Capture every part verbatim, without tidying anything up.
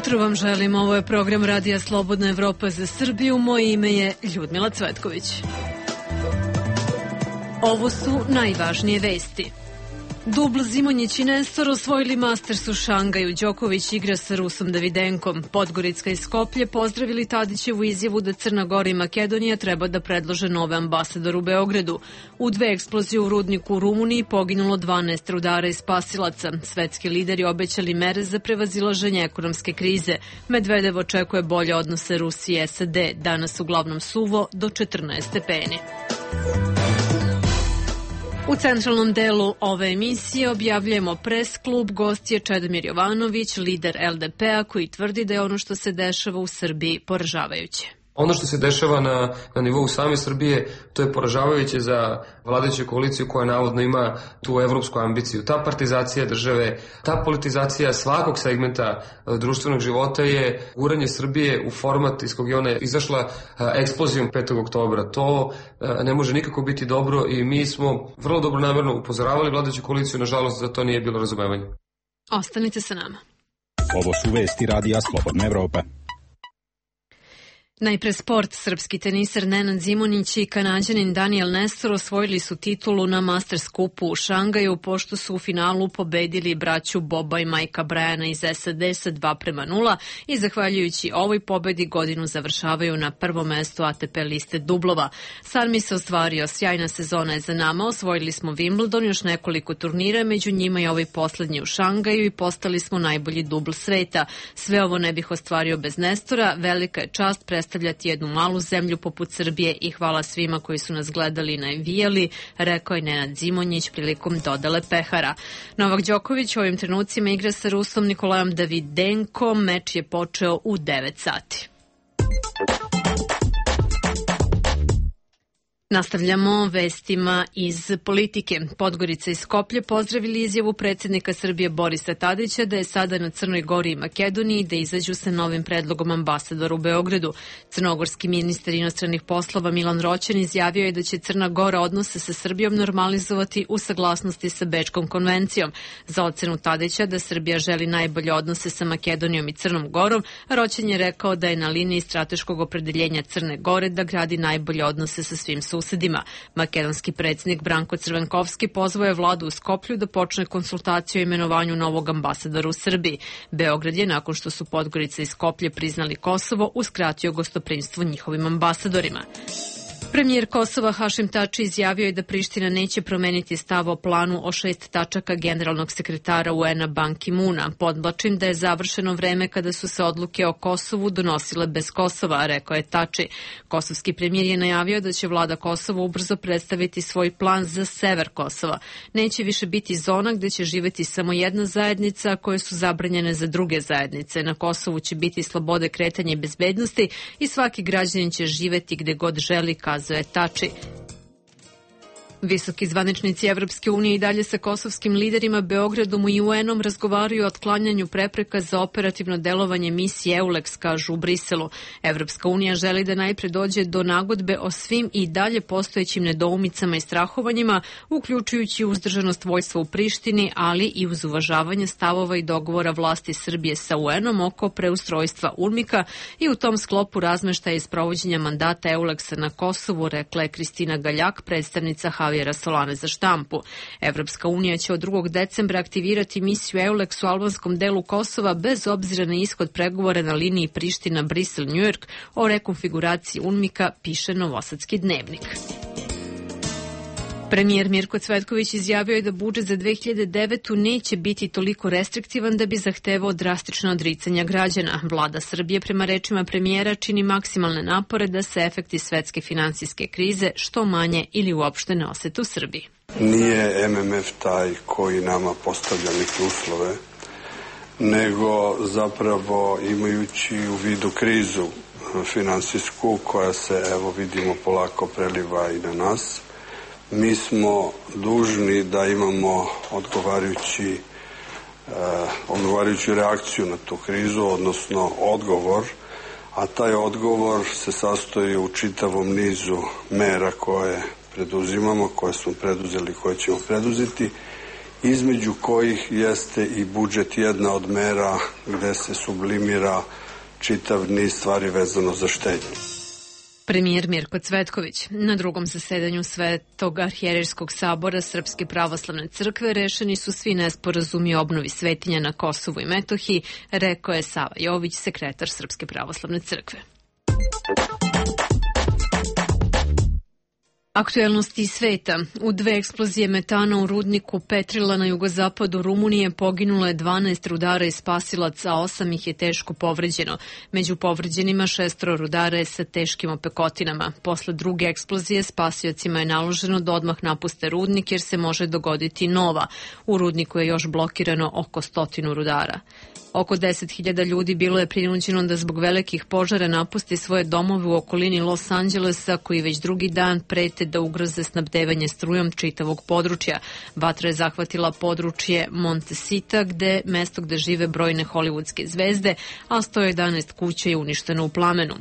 jutro vam želim. Ovo je program Radija Slobodna Evropa za Srbiju. Moje ime je Ljudmila Cvetković. Ovo su najvažnije vesti. Dubl, Zimonjić i Nestor osvojili Masters u Šangaju. Đoković igra sa Rusom Davidenkom. Podgorica i Skoplje pozdravili Tadićevu izjavu da Crna Gora i Makedonija treba da predlože nove ambasadore u Beogradu. U dve eksplozije u rudniku u Rumuniji poginulo dvanaest rudara i spasilaca. Svetski lideri obećali mere za prevazilaženje ekonomske krize. Medvedev očekuje bolje odnose Rusije i S A D. Danas uglavnom suvo do četrnaest stepeni. U centralnom delu ove emisije objavljujemo pres klub, gost je Čedomir Jovanović, lider L D P-a, koji tvrdi da je ono što se dešava u Srbiji poražavajuće. Ono što se dešava na, na nivou same Srbije, to je poražavajuće za vladajuću koaliciju koja navodno ima tu evropsku ambiciju. Ta partizacija države, ta politizacija svakog segmenta društvenog života je guranje Srbije u format iz kog je ona izašla eksplozijom petog oktobra. To ne može nikako biti dobro i mi smo vrlo dobro namerno upozoravali vladajuću koaliciju, nažalost za to nije bilo razumevanja. Ostanite sa nama. Ovo su vesti Radija Slobodna Evropa. Najpre sport. Srpski teniser Nenad Zimonjić i Kanađanin Daniel Nestor osvojili su titulu na Masters kupu u Šangaju, pošto su u finalu pobedili braću Boba i Majka Brajana iz S A D sa dva prema nula i zahvaljujući ovoj pobedi godinu završavaju na prvom mestu A T P liste dublova. Sarmi se ostvario, sjajna sezona je za nama, osvojili smo Wimbledon, još nekoliko turnira, među njima i ovaj poslednji u Šangaju i postali smo najbolji dubl sveta. Sve ovo ne bih ostvario bez Nestora, velika je čast predstavljati predstavljati jednu malu zemlju poput Srbije i hvala svima koji su nas gledali i navijali, rekao je Nenad Zimonjić prilikom dodele pehara. Novak Đoković u ovim trenucima igra sa Rusom Nikolajom Davidenkom, meč je počeo u devet sati. Nastavljamo vestima iz politike. Podgorica i Skoplje pozdravili izjavu predsjednika Srbije Borisa Tadića da je sada na Crnoj Gori i Makedoniji da izađu sa novim predlogom ambasadora u Beogradu. Crnogorski ministar inostranih poslova Milan Roćen izjavio je da će Crna Gora odnose sa Srbijom normalizovati u saglasnosti sa Bečkom konvencijom. Za ocenu Tadića da Srbija želi najbolje odnose sa Makedonijom i Crnom Gorom, Roćen je rekao da je na liniji strateškog opredeljenja Crne Gore da gradi najbolje odnose sa svim susedima. Susedima. Makedonski predsjednik Branko Crvenkovski pozvao je vladu u Skoplju da počne konsultaciju o imenovanju novog ambasadora u Srbiji. Beograd je, nakon što su Podgorica i Skoplje priznali Kosovo, uskratio gostoprimstvo njihovim ambasadorima. Premijer Kosova Hašim Tači izjavio je da Priština neće promeniti stav o planu o šest tačaka generalnog sekretara U N-a Ban Ki-muna. Podvlačim da je završeno vreme kada su se odluke o Kosovu donosile bez Kosova, rekao je Tači. Kosovski premijer je najavio da će vlada Kosova ubrzo predstaviti svoj plan za sever Kosova. Neće više biti zona gde će živeti samo jedna zajednica koje su zabranjene za druge zajednice. Na Kosovu će biti slobode kretanja i bezbednosti i svaki građanin će živeti gde god želi, kazuje Tači. Visoki zvaničnici Evropske unije i dalje sa kosovskim liderima Beogradom i U N-om razgovaraju o otklanjanju prepreka za operativno delovanje misije EULEX, kažu u Briselu. Evropska unija želi da najpre dođe do nagodbe o svim i dalje postojećim nedoumicama i strahovanjima, uključujući uzdržanost vojstva u Prištini, ali i uz uvažavanje stavova i dogovora vlasti Srbije sa U N-om oko preustrojstva UNMIK-a i u tom sklopu razmeštaja i sprovođenja mandata EULEX-a na Kosovu, rekla je Kristina Galjak, predstavnica Javijera Solane za štampu. Evropska unija će od drugog decembra aktivirati misiju EULEX u albanskom delu Kosova bez obzira na ishod pregovora na liniji Priština-Brisel-Njujork o rekonfiguraciji UNMIK-a, piše Novosadski dnevnik. Premijer Mirko Cvetković izjavio je da budžet za dve hiljade devetu. neće biti toliko restriktivan da bi zahtevao drastično odricanja građana. Vlada Srbije, prema rečima premijera, čini maksimalne napore da se efekti svetske finansijske krize što manje ili uopšte ne osete u Srbiji. Nije M M F taj koji nama postavlja neke uslove, nego zapravo imajući u vidu krizu finansijsku koja se, evo vidimo, polako preliva i na nas, mi smo dužni da imamo odgovarajući, eh, odgovarajuću reakciju na tu krizu, odnosno odgovor, a taj odgovor se sastoji u čitavom nizu mera koje preduzimamo, koje smo preduzeli, koje ćemo preduzeti između kojih jeste i budžet jedna od mera gde se sublimira čitav niz stvari vezano za štednju. Premijer Mirko Cvetković. Na drugom zasedanju Svetog arhijerejskog sabora Srpske pravoslavne crkve rešeni su svi nesporazumi o obnovi svetinja na Kosovu i Metohiji, rekao je Sava Jović, sekretar Srpske pravoslavne crkve. Aktuelnosti iz sveta. U dve eksplozije metana u rudniku Petrila na jugozapadu Rumunije poginulo je dvanaest rudara i spasilaca, a osam ih je teško povređeno. Među povređenima šestoro rudara je sa teškim opekotinama. Posle druge eksplozije spasiocima je naloženo da odmah napuste rudnik jer se može dogoditi nova. U rudniku je još blokirano oko stotinu rudara. Oko deset hiljada ljudi bilo je prinuđeno da zbog velikih požara napusti svoje domove u okolini Los Angelesa, koji već drugi dan prete da ugroze snabdevanje strujom čitavog područja. Vatra je zahvatila područje Montecita, gde mesto gde žive brojne hollywoodske zvezde, a sto jedanaest kuća je uništeno u plamenu.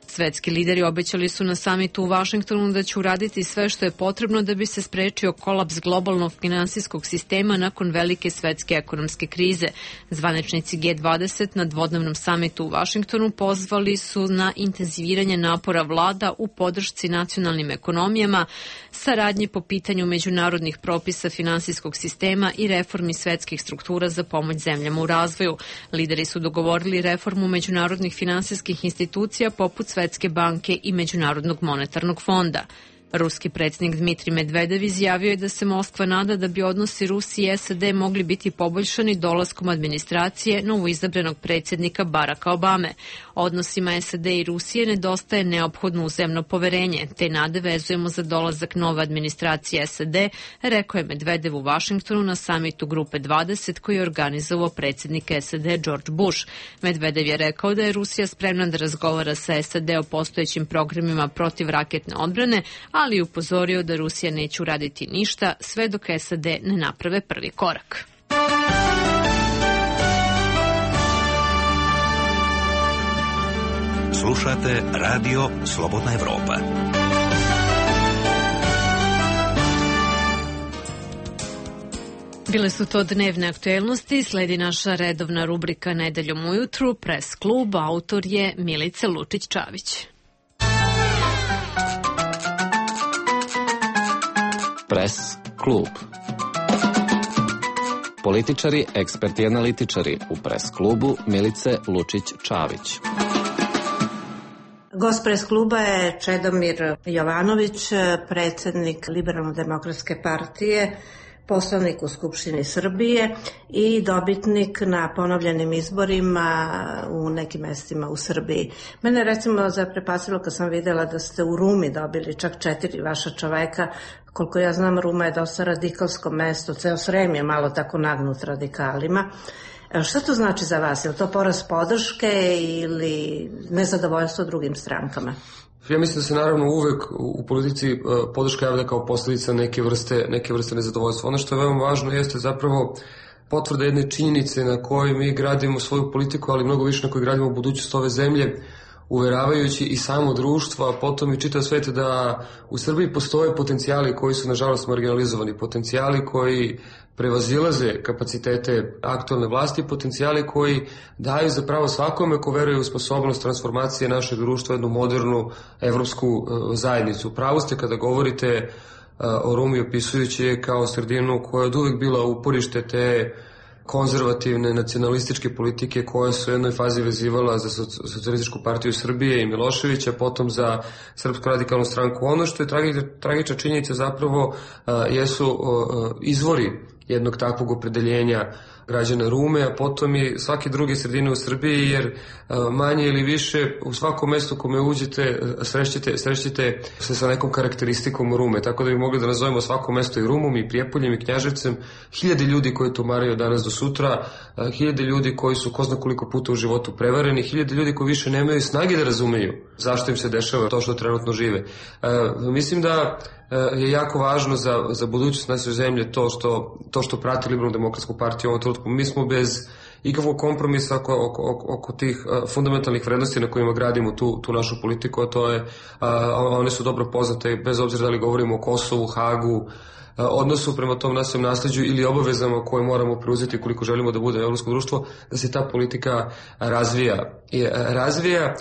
Svetski lideri obećali su na samitu u Vašingtonu da će uraditi sve što je potrebno da bi se sprečio kolaps globalnog finansijskog sistema nakon velike svetske ekonomske krize. Zvaničnici G dvadeset na dvodnevnom samitu u Vašingtonu pozvali su na intenziviranje napora vlada u podršci nacionalnim ekonomijama, saradnji po pitanju međunarodnih propisa finansijskog sistema i reformi svetskih struktura za pomoć zemljama u razvoju. Lideri su dogovorili reformu međunarodnih finansijskih institucija poput Svetske banke i Međunarodnog monetarnog fonda. Ruski predsjednik Dmitrij Medvedev izjavio je da se Moskva nada da bi odnosi Rusije i S A D mogli biti poboljšani dolaskom administracije novoizabranog predsjednika Baracka Obame. Odnosima S A D i Rusije nedostaje neophodno uzemno poverenje, te nade vezujemo za dolazak nove administracije S A D, rekao je Medvedev u Vašingtonu na samitu Grupe dvadeset koji je organizovao predsjednik S A D George Bush. Medvedev je rekao da je Rusija spremna da razgovara sa S A D o postojećim programima protiv raketne odbrane, ali je upozorio da Rusija neće uraditi ništa sve dok S A D ne naprave prvi korak. Slušate Radio Slobodna Evropa. Bile su to dnevne aktuelnosti, sledi naša redovna rubrika Nedeljom ujutru, Pres klub, autor je Milica Lučić-Čavić. Pres klub. Političari, eksperti i analitičari u Pres klubu Milice Lučić-Čavić. Gost Pres kluba je Čedomir Jovanović, predsjednik Liberalno-demokratske partije, poslanik u Skupštini Srbije i dobitnik na ponovljenim izborima u nekim mestima u Srbiji. Mene recimo zaprepasilo kad sam videla da ste u Rumi dobili čak četiri vaša čoveka. Koliko ja znam, Ruma je dosta radikalsko mesto, ceo Srem je malo tako nagnut radikalima. Šta to znači za vas? Je li to porast podrške ili nezadovoljstvo drugim strankama? Ja mislim da se naravno uvek u politici podrška javlja kao posljedica neke vrste, neke vrste nezadovoljstva. Ono što je veoma važno jeste zapravo potvrda jedne činjenice na kojoj mi gradimo svoju politiku, ali mnogo više na kojoj gradimo budućnost ove zemlje, uveravajući i samo društvo, a potom i čitav svet da u Srbiji postoje potencijali koji su nažalost marginalizovani, potencijali koji prevazilaze kapacitete aktualne vlasti, potencijali koji daju zapravo svakome ko veruje u sposobnost transformacije našeg društva u jednu modernu evropsku zajednicu. Pravo ste kada govorite o Rumi opisujući je kao sredinu koja je od uvek bila uporište te konzervativne nacionalističke politike koje su u jednoj fazi vezivala za Socijalističku partiju Srbije i Miloševića, potom za Srpsku radikalnu stranku. Ono što je tragična činjenica zapravo jesu izvori jednog takvog opredeljenja građana Rume, a potom i svake druge sredine u Srbiji, jer manje ili više u svakom mestu kome uđete srećete, srećete se sa nekom karakteristikom Rume, tako da bi mogli da nazovemo svako mesto i Rumom i Prijepoljem i Knjaževcem. Hiljade ljudi koji tumaraju danas do sutra, hiljade ljudi koji su ko zna koliko puta u životu prevareni, hiljade ljudi koji više nemaju snage da razumeju zašto im se dešava to što trenutno žive. Mislim da je jako važno za, za budućnost naše zemlje to što, to što prati Liberalno-demokratsku partiju u ovom trenutku. Mi smo bez ikakvog kompromisa oko, oko, oko tih uh, fundamentalnih vrednosti na kojima gradimo tu, tu našu politiku, a to je, uh, one su dobro poznate bez obzira da li govorimo o Kosovu, Hagu, odnosu prema tom našem nasleđu ili obavezama koje moramo preuzeti koliko želimo da bude evropsko društvo, da se ta politika razvija. I razvija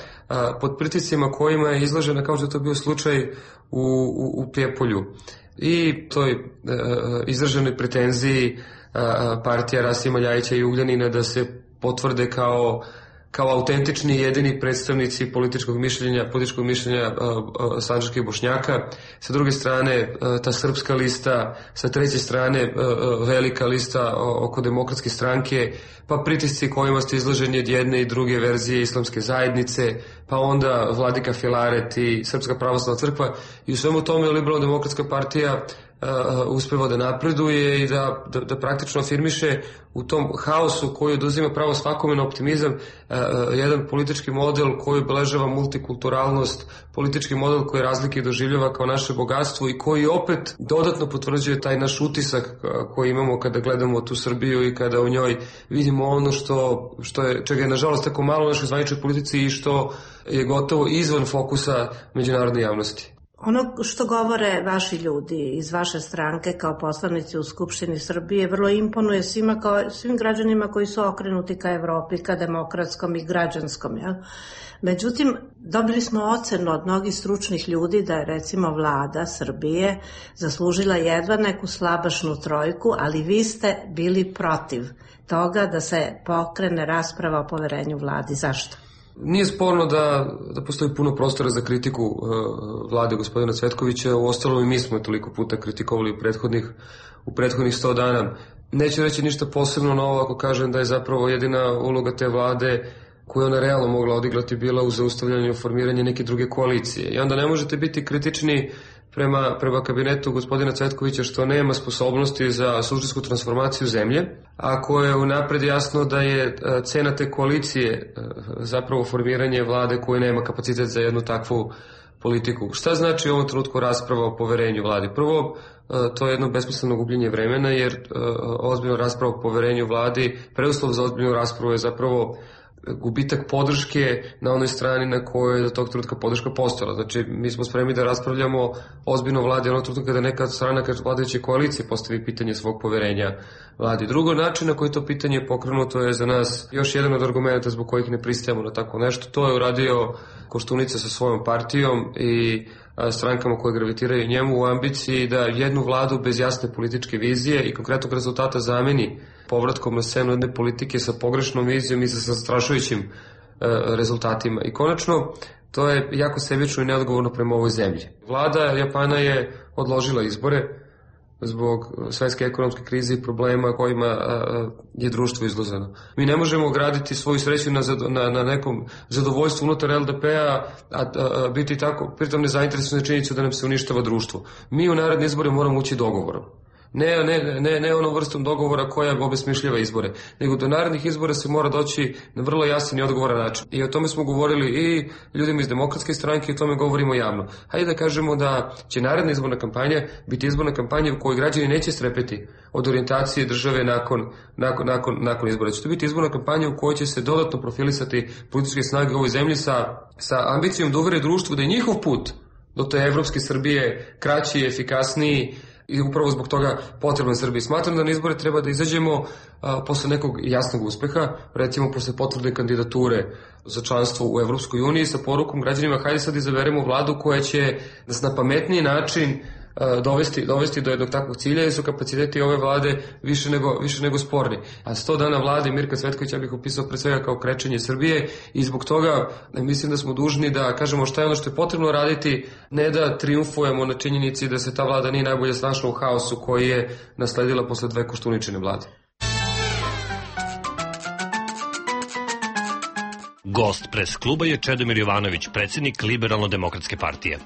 pod pritiscima kojima je izložena, kao što je to bio slučaj u, u, u Prijepolju. I toj izraženoj pretenziji partija Rasima Ljajića i Ugljanina da se potvrde kao kao autentični jedini predstavnici političkog mišljenja, političkog mišljenja uh, uh, sandžačkih Bošnjaka. Sa druge strane, uh, ta srpska lista, sa treće strane, uh, uh, velika lista oko demokratske stranke, pa pritisci kojima ste izloženi od jedne i druge verzije islamske zajednice, pa onda Vladika Filaret i Srpska pravoslavna crkva. I u svemu tome Liberalno-demokratska partija Uh, uspeva da napreduje i da, da, da praktično afirmiše u tom haosu koji oduzima pravo svakome na optimizam uh, uh, jedan politički model koji obeležava multikulturalnost, politički model koji razlike doživljava kao naše bogatstvo i koji opet dodatno potvrđuje taj naš utisak uh, koji imamo kada gledamo tu Srbiju i kada u njoj vidimo ono što, što je, čega je nažalost tako malo u našoj zvaničnoj politici i što je gotovo izvan fokusa međunarodne javnosti. Ono što govore vaši ljudi iz vaše stranke kao poslanici u Skupštini Srbije vrlo imponuje svima kao, svim građanima koji su okrenuti ka Evropi, ka demokratskom i građanskom. Ja? Međutim, dobili smo ocenu od mnogih stručnih ljudi da je recimo vlada Srbije zaslužila jedva neku slabašnu trojku, ali vi ste bili protiv toga da se pokrene rasprava o poverenju vladi. Zašto? Nije sporno da, da postoji puno prostora za kritiku uh, vlade gospodina Cvetkovića, u ostalom i mi smo toliko puta kritikovali u prethodnih, u prethodnih sto dana. Neću reći ništa posebno novo ako kažem da je zapravo jedina uloga te vlade koju ona realno mogla odigrati bila u zaustavljanju i formiranju neke druge koalicije. I onda ne možete biti kritični prema, prema kabinetu gospodina Cvetkovića što nema sposobnosti za suštinsku transformaciju zemlje, ako je unapred jasno da je cena te koalicije zapravo formiranje vlade koja nema kapacitet za jednu takvu politiku. Šta znači u ovom trenutku rasprava o poverenju vladi? Prvo, to je jedno besmisleno gubljenje vremena, jer ozbiljna rasprava o poverenju vladi, preduslov za ozbiljnu raspravu je zapravo gubitak podrške na onoj strani na kojoj je do tog trenutka podrška postojala. Znači, mi smo spremni da raspravljamo ozbiljno vladi onog trenutka kada neka strana kada vladajuće koalicije postavi pitanje svog poverenja vladi. Drugo, način na koji to pitanje je pokrenuto je za nas još jedan od argumenta zbog kojih ne pristajemo na tako nešto. To je uradio Koštunica sa svojom partijom i strankama koje gravitiraju njemu u ambiciji da jednu vladu bez jasne političke vizije i konkretnog rezultata zameni povratkom na scenu jedne politike sa pogrešnom vizijom i sa zastrašujućim e, rezultatima. I konačno, to je jako sebično i neodgovorno prema ovoj zemlji. Vlada Japana je odložila izbore zbog svetske ekonomske krize i problema kojima a, je društvo izloženo. Mi ne možemo graditi svoju sreću na, na, na nekom zadovoljstvu unutar el de pe-a, a, a, a biti tako, pritom nezainteresovani činjenicu da nam se uništava društvo. Mi u naredne izbore moramo ući dogovorom. Ne, ne, ne, ne onom vrstom dogovora koja obesmišljava izbore, nego do narednih izbora se mora doći na vrlo jasan i odgovoran način. I o tome smo govorili i ljudima iz demokratske stranke i o tome govorimo javno. Hajde da kažemo da će naredna izborna kampanja biti izborna kampanja u kojoj građani neće strepeti od orijentacije države nakon, nakon, nakon, nakon izbora. Će to biti izborna kampanja u kojoj će se dodatno profilisati političke snage u ovoj zemlji sa, sa ambicijom da uvere društvu da je njihov put do te evropske Srbije kraći, efikasniji, i upravo zbog toga potreban Srbiji. Smatram da na izbore treba da izađemo a, posle nekog jasnog uspeha, recimo posle potvrde kandidature za članstvo u Evropskoj uniji sa porukom građanima hajde sad izaberemo vladu koja će nas na pametniji način a, dovesti, dovesti do jednog takvog cilja, jer su kapaciteti ove vlade više nego, više nego sporni. A sto dana vlade Mirka Cvetkovića bih opisao pre svega kao krečenje Srbije i zbog toga mislim da smo dužni da kažemo šta je ono što je potrebno raditi, ne da triumfujemo na činjenici da se ta vlada nije najbolje snašla u haosu koji je nasledila posle dve Koštuničine vlade. Gost pres kluba je Čedomir Jovanović, predsjednik Liberalno-demokratske partije.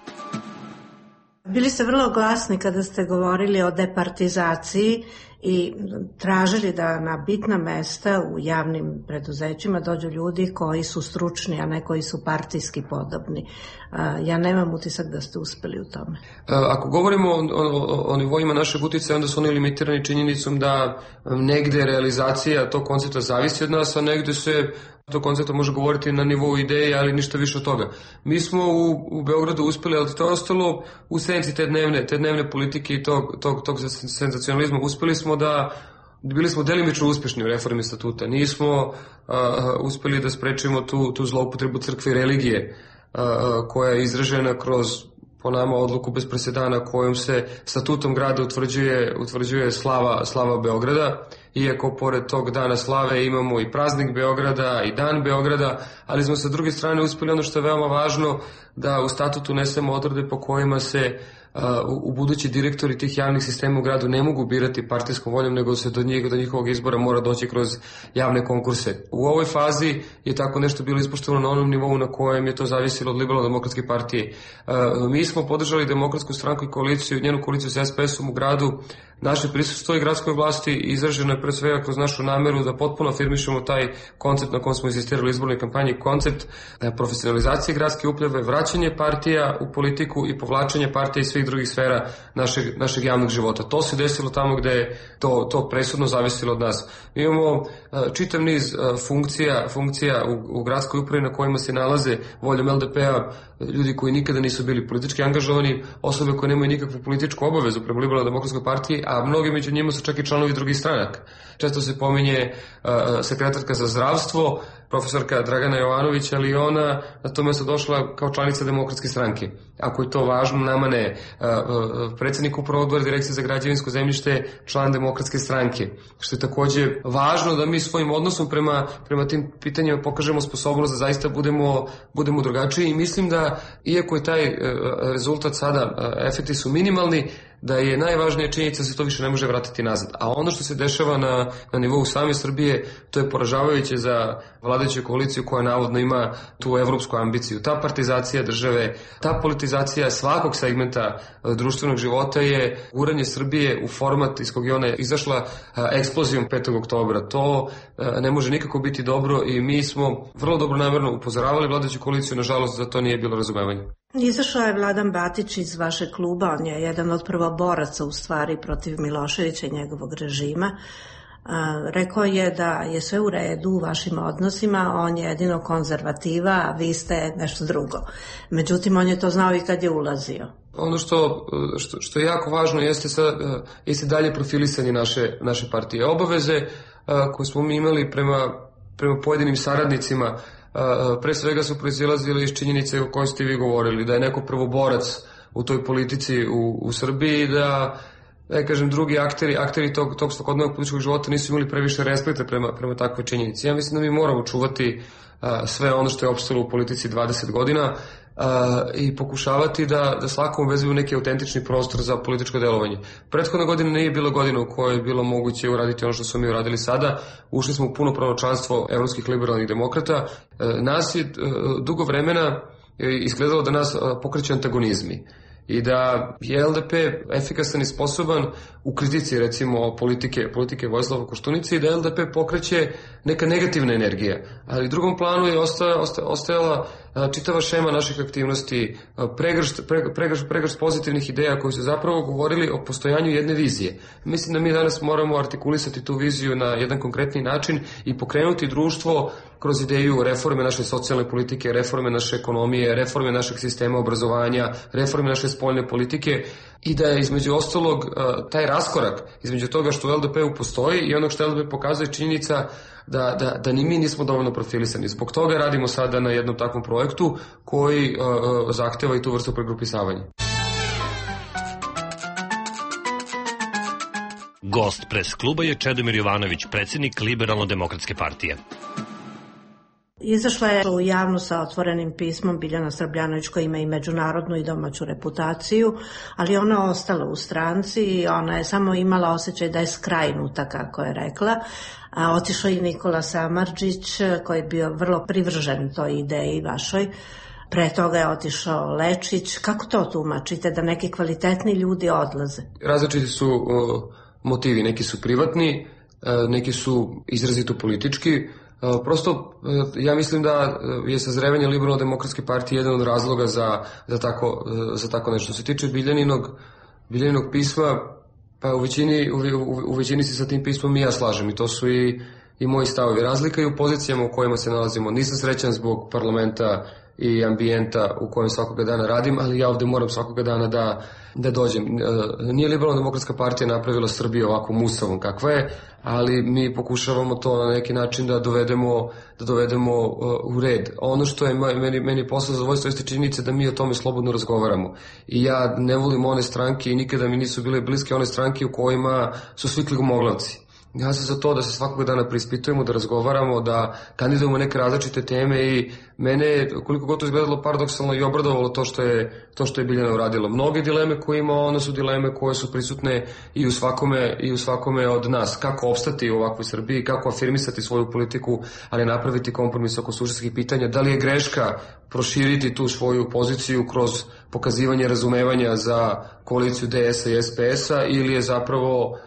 Bili ste vrlo glasni kada ste govorili o departizaciji i tražili da na bitna mesta u javnim preduzećima dođu ljudi koji su stručni, a ne koji su partijski podobni. Ja nemam utisak da ste uspeli u tome. Ako govorimo o, o, o nivoima našeg uticaja, onda su oni limitirani činjenicom da negde realizacija tog koncepta zavisi od nas, a negde se to koncepta može govoriti na nivou ideje, ali ništa više od toga. Mi smo u, u Beogradu uspeli, ali to je ostalo u senci te dnevne, te dnevne politike i tog, tog, tog senzacionalizma. Uspeli smo da bili smo delimično uspešni u reformi statuta. Nismo uh, uspeli da sprečimo tu, tu zloupotrebu crkve i religije uh, koja je izražena kroz, po nama, odluku bez presedana kojom se statutom grada utvrđuje, utvrđuje slava, slava Beograda. Iako pored tog dana slave imamo i praznik Beograda i dan Beograda, ali smo sa druge strane uspeli ono što je veoma važno, da u statutu unesemo odredbe po kojima se uh, u budući direktori tih javnih sistema u gradu ne mogu birati partijskom voljom, nego se do, njih, do njihovog izbora mora doći kroz javne konkurse. U ovoj fazi je tako nešto bilo ispoštovano na onom nivou na kojem je to zavisilo od Liberalno-demokratske partije. Uh, mi smo podržali Demokratsku stranku i koaliciju, njenu koaliciju sa es pe esom u gradu. Naše prisustvo i gradskoj vlasti izraženo je pre svega kroz našu nameru da potpuno afirmišemo taj koncept na kom smo insistirali u izbornoj kampanji, koncept profesionalizacije gradske uprave, vraćanje partija u politiku i povlačenje partija iz svih drugih sfera našeg, našeg javnog života. To se desilo tamo gde je to, to presudno zavisilo od nas. Mi imamo čitav niz funkcija, funkcija u, u gradskoj upravi na kojima se nalaze voljom el de pe-a ljudi koji nikada nisu bili politički angažovani, osobe koje nemaju nikakvu političku obavezu prema Liberalno-demokratskoj partiji, a mnogi među njima su čak i članovi drugih stranaka. Često se pominje uh, sekretarka za zdravstvo, profesorka Dragana Jovanović, ali ona na to mesto došla kao članica Demokratske stranke. Ako je to važno, nama ne. Uh, uh, predsjednik upravo odbora Direkcije za građevinsko zemljište, član Demokratske stranke. Što je takođe važno da mi svojim odnosom prema, prema tim pitanjima pokažemo sposobnost da zaista budemo, budemo drugačiji, i mislim da, iako je taj uh, rezultat sada, uh, efekti su minimalni, da je najvažnija činjenica da se to više ne može vratiti nazad. A ono što se dešava na, na nivou same Srbije, to je poražavajuće za vladajuću koaliciju koja navodno ima tu evropsku ambiciju. Ta partizacija države, ta politizacija svakog segmenta društvenog života je guranje Srbije u format iz kog je ona izašla eksplozijom petog oktobra. To ne može nikako biti dobro i mi smo vrlo dobro namerno upozoravali vladajuću koaliciju, nažalost za to nije bilo razumevanja. Izašao je Vladan Batić iz vašeg kluba, on je jedan od prvoboraca u stvari protiv Miloševića i njegovog režima. Rekao je da je sve u redu u vašim odnosima, on je jedino konzervativa, a vi ste nešto drugo. Međutim, on je to znao i kad je ulazio. Ono što, što, što je jako važno jeste, sa, jeste dalje profilisanje naše, naše partije. Obaveze koje smo mi imali prema, prema pojedinim saradnicima pre svega su proizilazili iz činjenice o kojoj ste vi govorili, da je neko prvoborac u toj politici u, u Srbiji, da, da kažem, drugi akteri, akteri tog, tog svakodnevnog političkog života nisu imali previše respekta prema, prema takvoj činjenici. Ja mislim da mi moramo čuvati a, sve ono što je opstalo u politici dvadeset godina a, i pokušavati da, da svakom obezbedimo neki autentični prostor za političko delovanje. Prethodna godina nije bila godina u kojoj je bilo moguće uraditi ono što smo mi uradili sada. Ušli smo u punopravno članstvo evropskih liberalnih demokrata. E, nas je e, dugo vremena izgledalo da nas pokreće antagonizmi i da je el de pe efikasan i sposoban u kritici, recimo, politike, politike Vojislava Koštunice, i da el de pe pokreće neka negativna energija. Ali u drugom planu je ostajala, ostajala čitava šema naših aktivnosti, pregršt, pregršt, pregršt pozitivnih ideja koji su zapravo govorili o postojanju jedne vizije. Mislim da mi danas moramo artikulisati tu viziju na jedan konkretni način i pokrenuti društvo kroz ideju reforme naše socijalne politike, reforme naše ekonomije, reforme našeg sistema obrazovanja, reforme naše spoljne politike, i da je između ostalog taj raskorak između toga što u el de pe-u postoji i onog što el de pe pokazuje činjenica da, da, da ni mi nismo dovoljno profilisani. Zbog toga radimo sada na jednom takvom projektu koji uh, zahteva i tu vrstu pregrupisavanja. Gost pres kluba je Čedomir Jovanović, predsjednik Liberalno-demokratske partije. Izašla je u javno sa otvorenim pismom Biljana Srbljanović, koja ima i međunarodnu i domaću reputaciju, ali ona ostala u stranci i ona je samo imala osjećaj da je skrajnuta, kako je rekla. A otišao i Nikola Samardžić, koji je bio vrlo privržen toj ideji vašoj. Pre toga je otišao Lečić. Kako to tumačite, da neki kvalitetni ljudi odlaze? Različiti su uh, motivi. Neki su privatni, neki su izrazito politički. Prosto, ja mislim da je sazrevanje Liberalno-demokratske partije jedan od razloga za, za, tako, za tako nešto. Se tiče Biljaninog, Biljaninog pisma, pa u većini, u, u, u većini se sa tim pismom i ja slažem i to su i, i moji stavovi. Razlika i u pozicijama u kojima se nalazimo. Nisam srećan zbog parlamenta i ambijenta u kojem svakoga dana radim, ali ja ovde moram svakoga dana da, da dođem. Nije Liberalno-demokratska partija napravila Srbiju ovako musavom kakva je, ali mi pokušavamo to na neki način da dovedemo, da dovedemo u red. Ono što je meni, meni posao zadovoljstvo jeste činjenica da mi o tome slobodno razgovaramo. I ja ne volim one stranke i nikada mi nisu bile bliske one stranke u kojima su svi kligomoglavci. Ja sam za to da se svakog dana preispitujemo, da razgovaramo, da kandidujemo neke različite teme i mene, koliko god to izgledalo paradoksalno, i obradovalo to što je, to što je Biljana uradilo. Mnoge dileme koje ima, one su dileme koje su prisutne i u svakome, i u svakome od nas. Kako opstati u ovakvoj Srbiji, kako afirmisati svoju politiku, ali napraviti kompromis oko suštinskih pitanja. Da li je greška proširiti tu svoju poziciju kroz pokazivanje razumevanja za koaliciju D S-a i S P S-a ili je zapravo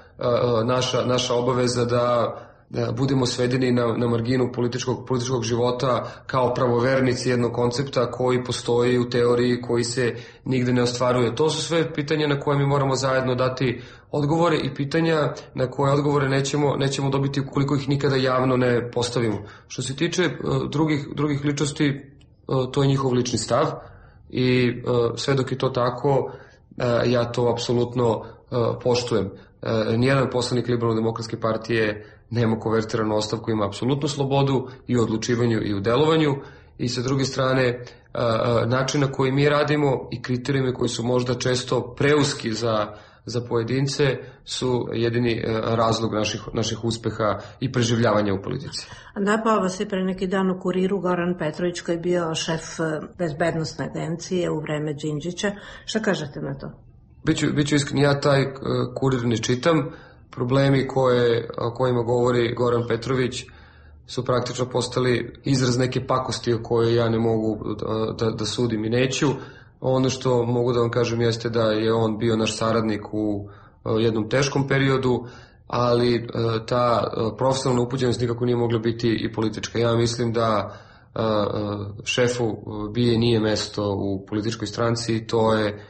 naša, naša obaveza da, da budemo svedeni na, na marginu političkog, političkog života kao pravovernici jednog koncepta koji postoji u teoriji, koji se nigde ne ostvaruje. To su sve pitanja na koje mi moramo zajedno dati odgovore i pitanja na koje odgovore nećemo, nećemo dobiti ukoliko ih nikada javno ne postavimo. Što se tiče uh, drugih, drugih ličnosti, uh, to je njihov lični stav i uh, sve dok je to tako, uh, ja to apsolutno uh, poštujem. Uh, nijedan poslanik Liberalno-demokratske partije nema konvertiranu ostavku, ima apsolutnu slobodu i u odlučivanju i u delovanju i sa druge strane uh, uh, način na koji mi radimo i kriterijumi koji su možda često preuski za, za pojedince su jedini uh, razlog naših, naših uspeha i preživljavanja u politici. Napao vas je pre neki dan u Kuriru Goran Petrović koji je bio šef bezbednostne agencije u vreme Đinđića. Šta kažete na to? Biću, biću iskren, ja taj uh, Kurir ne čitam. Problemi koje, o kojima govori Goran Petrović su praktično postali izraz neke pakosti o kojoj ja ne mogu da, da, da sudim i neću. Ono što mogu da vam kažem jeste da je on bio naš saradnik u uh, jednom teškom periodu, ali uh, ta uh, profesionalna upućenost nikako nije mogla biti i politička. Ja mislim da uh, uh, šefu B I A nije mesto u političkoj stranci i to je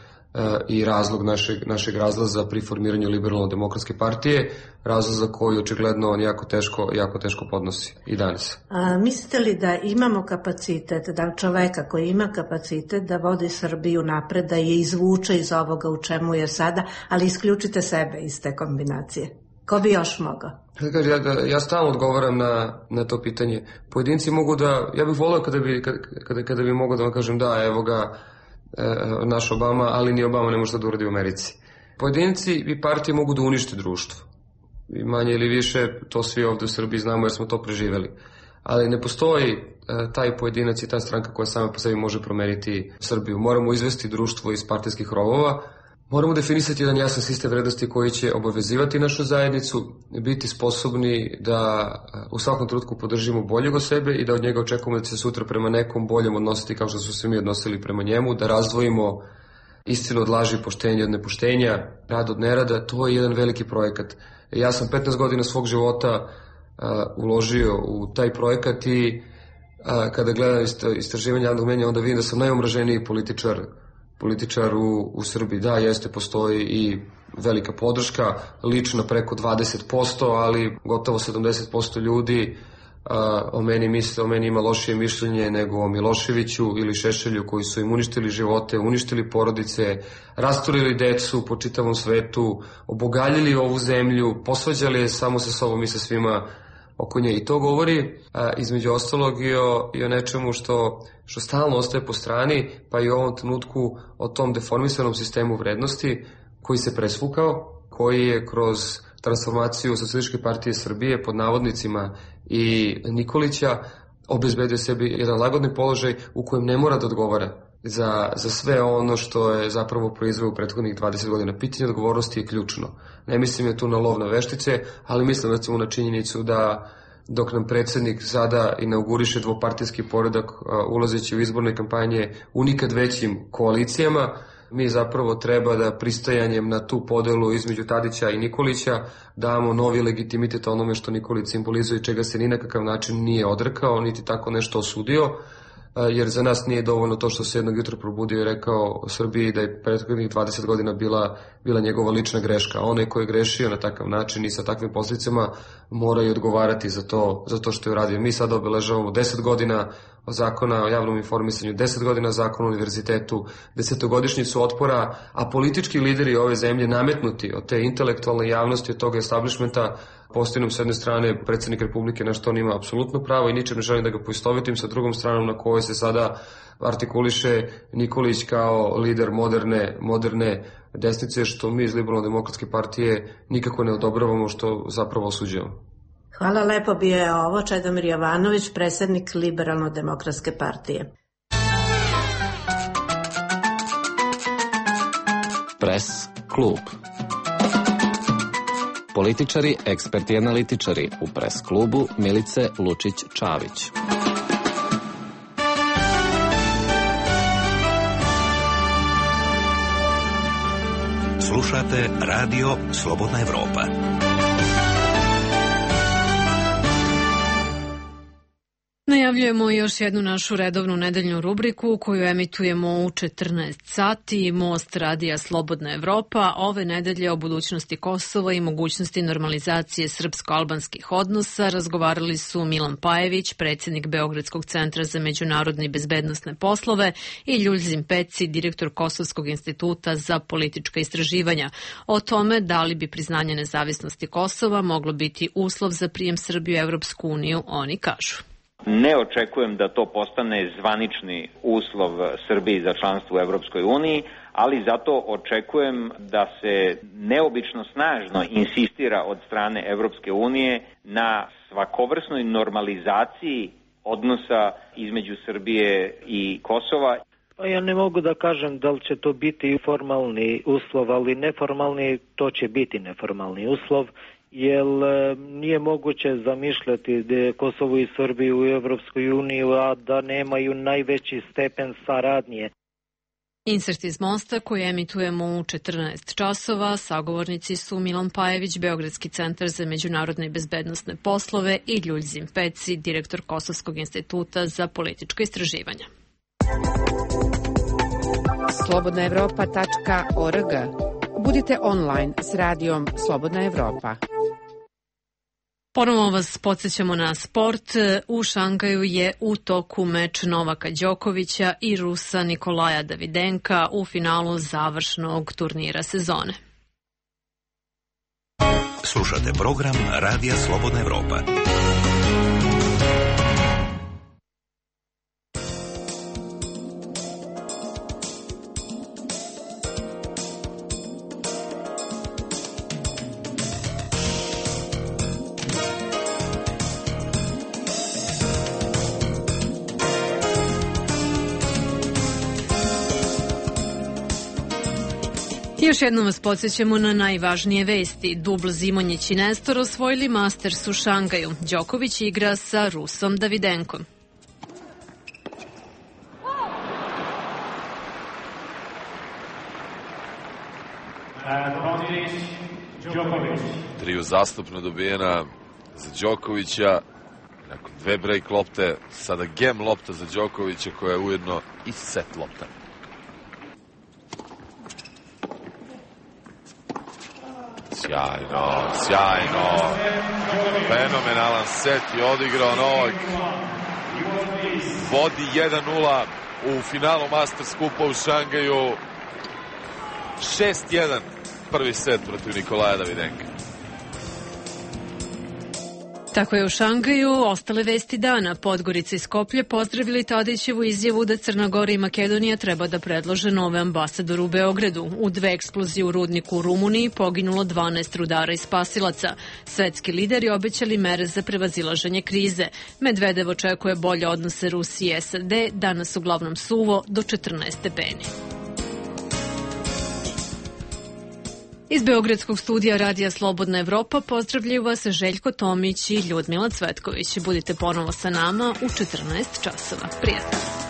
i razlog našeg, našeg razlaza pri formiranju Liberalno-demokratske partije, razlaz za koji očigledno on jako teško, jako teško podnosi i danas. A, mislite li da imamo kapacitet, da čoveka koji ima kapacitet da vodi Srbiju napred, da je izvuče iz ovoga u čemu je sada, ali isključite sebe iz te kombinacije? Ko bi još mogao? Ja, ja stalno odgovaram na, na to pitanje. Pojedinci mogu da, ja bih volio kada bi, kada, kada bi mogao da vam kažem da, evo ga, naš Obama, ali ni Obama ne može da uradi u Americi. Pojedinci i partije mogu da unište društvo. I manje ili više, to svi ovde u Srbiji znamo jer smo to preživeli. Ali ne postoji taj pojedinac i ta stranka koja sama po sebi može promeniti Srbiju. Moramo izvesti društvo iz partijskih rovova. Moramo definisati jedan jasan sistem vrednosti koji će obavezivati našu zajednicu, biti sposobni da u svakom trenutku podržimo boljeg od sebe i da od njega očekujemo da će se sutra prema nekom boljem odnositi kao što su se mi odnosili prema njemu, da razdvojimo istinu od laži, poštenja od nepoštenja, rad od nerada. To je jedan veliki projekat. Ja sam petnaest godina svog života uh, uložio u taj projekat i uh, kada gledam istraživanje javnog mnjenja, onda vidim da sam najomraženiji političar političar u, u Srbiji. Da, jeste, postoji i velika podrška, lično preko dvadeset posto, ali gotovo sedamdeset posto ljudi a, o meni misle, o meni ima lošije mišljenje nego o Miloševiću ili Šešelju koji su im uništili živote, uništili porodice, rasturili decu po čitavom svetu, obogaljili ovu zemlju, posvađali je samo sa sobom i sa svima oko nje. I to govori a, između ostalog i o, i o nečemu što, što stalno ostaje po strani, pa i u ovom trenutku o tom deformisanom sistemu vrednosti koji se presvukao, koji je kroz transformaciju Socijalističke partije Srbije pod navodnicima i Nikolića obezbedio sebi jedan lagodni položaj u kojem ne mora da odgovara za, za sve ono što je zapravo proizveo u prethodnih dvadeset godina. Pitanje odgovornosti je ključno. Ne mislim je tu na lov na veštice, ali mislim recimo na činjenicu da dok nam predsjednik sada inauguriše dvopartijski poredak ulazeći u izborne kampanje u nikad većim koalicijama, mi zapravo treba da pristajanjem na tu podelu između Tadića i Nikolića damo novi legitimitet onome što Nikolić simbolizuje i čega se ni na kakav način nije odrekao, niti tako nešto osudio, jer za nas nije dovoljno to što se jednog jutra probudio i rekao Srbiji da je prethodnih dvadeset godina bila, bila njegova lična greška. Onaj ko je grešio na takav način i sa takvim posljedicama mora i odgovarati za to, za to što je uradio. Mi sada obeležavamo deset godina zakona o javnom informisanju, deset godina zakona o univerzitetu, desetogodišnjicu otpora, a politički lideri ove zemlje nametnuti od te intelektualne javnosti, od toga establishmenta, postoji nam s jedne strane predsjednik Republike, na što on ima apsolutno pravo i ničem ne želim da ga poistovetim, sa drugom stranom na kojoj se sada artikuliše Nikolić kao lider moderne, moderne desnice, što mi iz Liberalno-demokratske partije nikako ne odobravamo, što zapravo osuđujemo. Hvala lepo, bio je ovo Čedomir Jovanović, predsjednik Liberalno-demokratske partije. Pres klub. Političari, eksperti i analitičari u Pres klubu Milice Lučić-Čavić. Slušate Radio Slobodna Evropa. Najavljujemo još jednu našu redovnu nedeljnu rubriku koju emitujemo u četrnaest sati. Most radija Slobodna Evropa ove nedelje o budućnosti Kosova i mogućnosti normalizacije srpsko-albanskih odnosa razgovarali su Milan Pajević, predsjednik Beogradskog centra za međunarodne i bezbednosne poslove, i Ljuljzim Peci, direktor Kosovskog instituta za politička istraživanja. O tome da li bi priznanje nezavisnosti Kosova moglo biti uslov za prijem Srbije u Evropsku uniju, oni kažu. Ne očekujem da to postane zvanični uslov Srbiji za članstvo u Evropskoj uniji, ali zato očekujem da se neobično snažno insistira od strane Evropske unije na svakovrsnoj normalizaciji odnosa između Srbije i Kosova. Pa ja ne mogu da kažem da li će to biti formalni uslov, ali neformalni, to će biti neformalni uslov. Jer nije moguće zamišljati da Kosovo i Srbiju u Evropskoj uniji, a da nemaju najveći stepen saradnje. Insert iz Mosta koji emitujemo u četrnaest časova. Sagovornici su Milan Pajević, Beogradski centar za međunarodne i bezbednosne poslove, i Ljuljzim Peci, direktor Kosovskog instituta za politička istraživanja. slobodna evropa tačka org. Budite online s radijom Slobodna Evropa. Ponovo vas podsjećamo na sport. U Šangaju je u toku meč Novaka Đokovića i Rusa Nikolaja Davidenka u finalu završnog turnira sezone. Slušate program Radija Slobodna Evropa. Još jednom vas podsjećamo na najvažnije vesti. Dubl Zimonjić i Nestor osvojili Masters u Šangaju. Đoković igra sa Rusom Davidenkom. Tri uzastopno dobijena za Đokovića. Nakon dve break lopte, sada gem lopta za Đokovića koja je ujedno i set lopta. Sjajno, sjajno, fenomenalan set je odigrao Novak, vodi jedan nula u finalu Masters Kupa u Šangaju, šest jedan prvi set protiv Nikolaja Davidenka. Tako je u Šangaju. Ostale vesti dana. Podgorica i Skoplje pozdravili Tadićevu izjavu da Crna Gora i Makedonija treba da predlože nove ambasadore u Beogradu. U dve eksplozije u rudniku u Rumuniji poginulo dvanaest rudara i spasilaca. Svetski lideri obećali mere za prevazilaženje krize. Medvedev očekuje bolje odnose Rusije i S A D, danas uglavnom suvo do četrnaest stepeni. Iz Beogradskog studija Radija Slobodna Evropa pozdravljaju vas Željko Tomić i Ljudmila Cvetković. Budite ponovo sa nama u četrnaest časova. Prijatno.